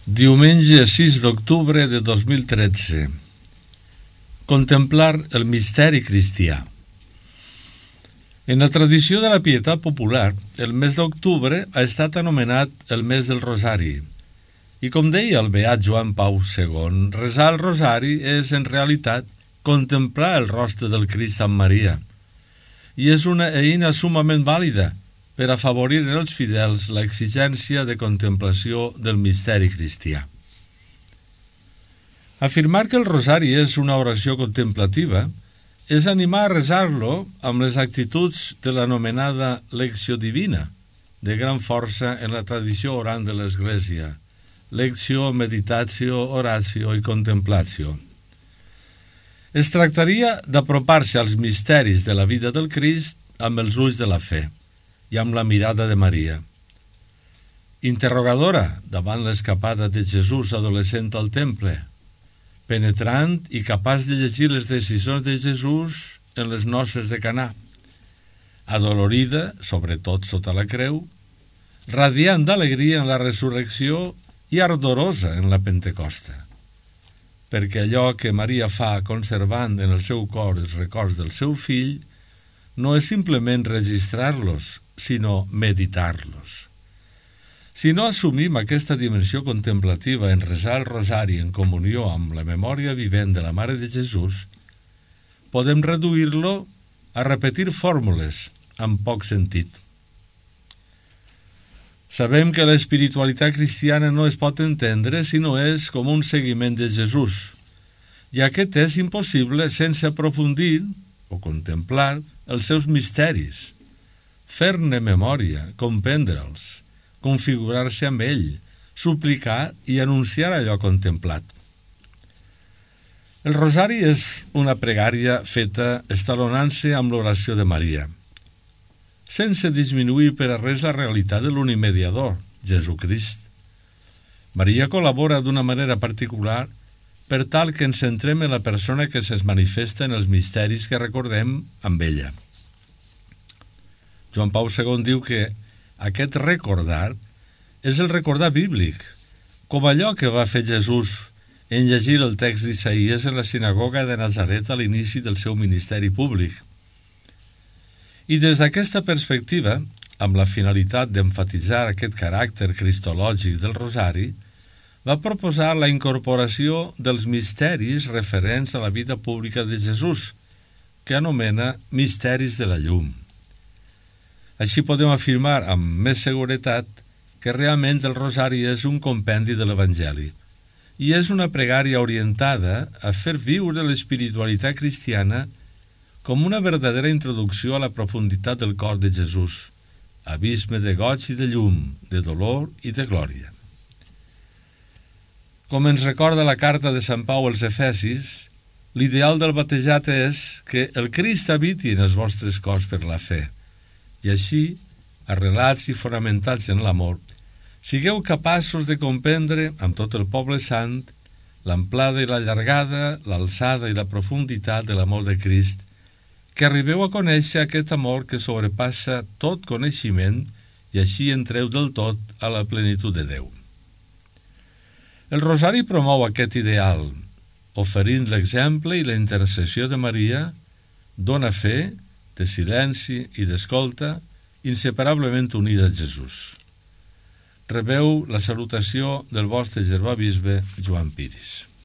Diumenge 6 d'octubre de 2013. Contemplar el misteri cristià. En la tradició de la pietat popular, el mes d'octubre ha estat anomenat el mes del Rosari. I com deia el beat Joan Pau II, resar el Rosari és, en realitat, contemplar el rostre del Crist amb Maria. I és una eina sumament vàlida per afavorir en els fidels l'exigència de contemplació del misteri cristià. Afirmar que el Rosari és una oració contemplativa és animar a resar-lo amb les actituds de l'anomenada lecció divina, de gran força en la tradició orant de l'Església, lecció, meditatio, oratio i contemplatio. Es tractaria d'apropar-se als misteris de la vida del Crist amb els ulls de la fe i amb la mirada de Maria. Interrogadora davant l'escapada de Jesús adolescent al temple, penetrant i capaç de llegir les decisions de Jesús en les noces de Canà, adolorida, sobretot sota la creu, radiant d'alegria en la resurrecció i ardorosa en la Pentecosta, perquè allò que Maria fa conservant en el seu cor els records del seu fill no és simplement registrar-los, sinó meditar-los. Si no assumim aquesta dimensió contemplativa en resar el Rosari en comunió amb la memòria vivent de la Mare de Jesús, podem reduir-lo a repetir fórmules amb poc sentit. Sabem que l'espiritualitat cristiana no es pot entendre si no és com un seguiment de Jesús, i aquest és impossible sense aprofundir o contemplar els seus misteris, fer-ne memòria, comprendre'ls, configurar-se amb ell, suplicar i anunciar allò contemplat. El Rosari és una pregària feta estalonant-se amb l'oració de Maria, sense disminuir per a res la realitat de l'únic mediador, Jesucrist. Maria col·labora d'una manera particular per tal que ens centrem en la persona que se'ns manifesta en els misteris que recordem amb ella. Joan Pau II diu que aquest recordar és el recordar bíblic, com allò que va fer Jesús en llegir el text d'Isaïes en la sinagoga de Nazaret a l'inici del seu ministeri públic. I des d'aquesta perspectiva, amb la finalitat d'emfatitzar aquest caràcter cristològic del Rosari, va proposar la incorporació dels misteris referents a la vida pública de Jesús, que anomena misteris de la llum. Així podem afirmar amb més seguretat que realment el Rosari és un compendi de l'Evangeli i és una pregària orientada a fer viure l'espiritualitat cristiana com una verdadera introducció a la profunditat del cor de Jesús, abisme de goig i de llum, de dolor i de glòria. Com ens recorda la carta de Sant Pau als Efesis, l'ideal del batejat és que el Crist habiti en els vostres cors per la fe, i així, arrelats i fonamentats en l'amor, sigueu capaços de comprendre, amb tot el poble sant, l'amplada i la llargada, l'alçada i la profunditat de l'amor de Crist, que arribeu a conèixer aquest amor que sobrepassa tot coneixement i així entreu del tot a la plenitud de Déu. El Rosari promou aquest ideal, oferint l'exemple i la intercessió de Maria, dona fe, de silenci i d'escolta, inseparablement unida a Jesús. Rebeu la salutació del vostre germà bisbe Joan Piris.